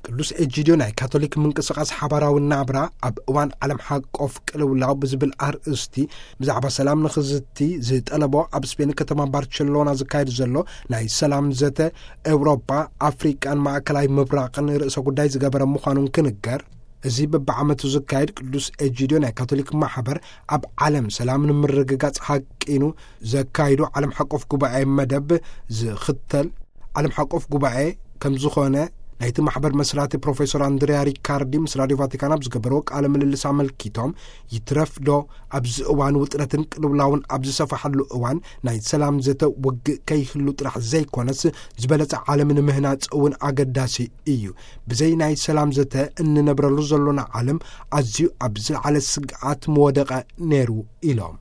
ቅዱስ ኤጂድዮ ናይ ካቶሊክ ምንቅስቃስ ሓባራዊ ናብራ ኣብ እዋን ዓለም ሓቆፍ ቅልውላው ብዝብል ኣርእስቲ ብዛዕባ ሰላም ንኽዝቲ ዝጠለቦ ኣብ ስፔን ከተማ ባርቸሎና ዝካየድ ዘሎ ናይ ሰላም ዘተ ኤውሮጳ፣ ኣፍሪቃን ማእከላይ ምብራቕን ርእሰ ጉዳይ ዝገበረ ምዃኑን ክንገር፣ እዚ በብዓመቱ ዝካየድ ቅዱስ ኤጂድዮ ናይ ካቶሊክ ማሕበር ኣብ ዓለም ሰላም ንምርግጋጽ ሃቂኑ ዘካይዶ ዓለም ሓቆፍ ጉባኤ መደብ ዝኽተል ዓለም ሓቆፍ ጉባኤ ከም ዝኾነ ናይቲ ማሕበር መስራቲ ፕሮፌሰር ኣንድሪያ ሪካርዲ ምስ ራዲዮ ቫቲካን ኣብ ዝገበርዎ ቃለ ምልልስ ኣመልኪቶም፣ ይትረፍ ዶ ኣብዚ እዋን ውጥረትን ቅልውላውን ኣብ ዝሰፍሓሉ እዋን ናይ ሰላም ዘተ ውግእ ከይህሉ ጥራሕ ዘይኮነስ ዝበለጸ ዓለም ንምህናጽ እውን ኣገዳሲ እዩ። ብዘይ ናይ ሰላም ዘተ እንነብረሉ ዘሎና ዓለም ኣዝዩ ኣብ ዝለዓለ ስግኣት ምወደቐ ነይሩ ኢሎም።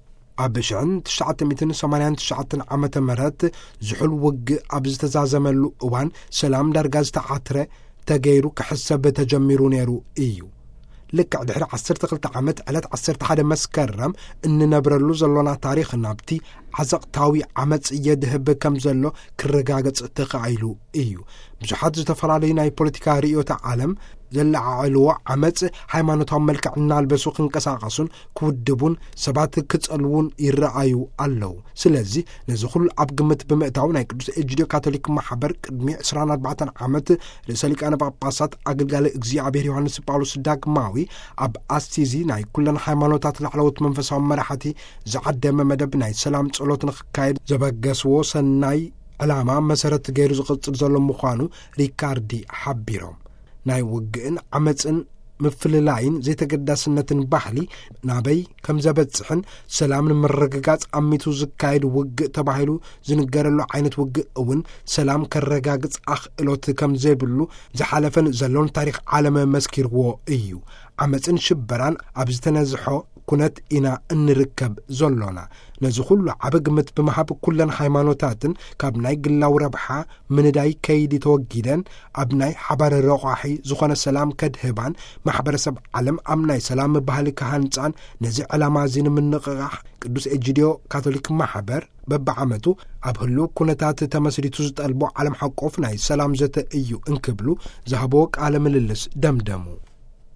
ኣብ ሽሕን ትሽዓተ ሚእትን ሰማንያን ትሽዓተን ዓመተ ምህረት ዝሑል ውግእ ኣብ ዝተዛዘመሉ እዋን ሰላም ዳርጋ ዝተዓትረ ተገይሩ ክሕሰብ ተጀሚሩ ነይሩ እዩ። ልክዕ ድሕሪ ዓሰርተ ክልተ ዓመት ዕለት ዓሰርተ ሓደ መስከረም እንነብረሉ ዘሎና ታሪኽ ናብቲ ዓዘቕታዊ ዓመጽ የድህብ ከም ዘሎ ክረጋገጽ ተኻኢሉ እዩ። ብዙሓት ዝተፈላለዩ ናይ ፖለቲካ ርእዮተ ዓለም ዘለዓዕልዎ ዓመጽ ሃይማኖታዊ መልክዕ እናልበሱ ክንቀሳቐሱን ክውድቡን ሰባት ክጸልዉን ይረኣዩ ኣለዉ። ስለዚ ነዚ ኩሉ ኣብ ግምት ብምእታው ናይ ቅዱስ ኤጂድዮ ካቶሊክ ማሕበር ቅድሚ ዕስራን ኣርባዕተን ዓመት ርእሰ ሊቃነ ጳጳሳት ኣገልጋሊ እግዚኣብሔር ዮሃንስ ጳውሎስ ዳግማዊ ኣብ ኣሲዚ ናይ ኩለን ሃይማኖታት ላዕለዎት መንፈሳዊ መራሕቲ ዝዓደመ መደብ ናይ ሰላም ጸሎት ንኽካየድ ዘበገስዎ ሰናይ ዕላማ መሰረት ገይሩ ዝቕጽል ዘሎ ምዃኑ ሪካርዲ ሓቢሮም። ናይ ውግእን ዓመጽን ምፍልላይን ዘይተገዳስነትን ባህሊ ናበይ ከም ዘበጽሕን ሰላም ንምርግጋጽ ኣሚቱ ዝካየድ ውግእ ተባሂሉ ዝንገረሉ ዓይነት ውግእ እውን ሰላም ከረጋግጽ ኣኽእሎት ከም ዘይብሉ ዝሓለፈን ዘሎን ታሪኽ ዓለም መስኪርዎ እዩ። ዓመጽን ሽበራን ኣብ ዝተነዝሖ ኩነት ኢና እንርከብ ዘሎና። ነዚ ኩሉ ዓቢ ግምት ብምሃብ ኩለን ሃይማኖታትን ካብ ናይ ግላዊ ረብሓ ምንዳይ ከይዲ ተወጊደን ኣብ ናይ ሓባር ረቋሒ ዝኾነ ሰላም ከድህባን ማሕበረሰብ ዓለም ኣብ ናይ ሰላም ባህሊ ክሃንጻን ነዚ ዕላማ እዚ ንምንቕቓሕ ቅዱስ ኤጂድዮ ካቶሊክ ማሕበር በብዓመቱ ኣብ ህሉው ኩነታት ተመስሪቱ ዝጠልቦ ዓለም ሓቆፍ ናይ ሰላም ዘተ እዩ እንክብሉ ዝሃብዎ ቃለ ምልልስ ደምደሙ።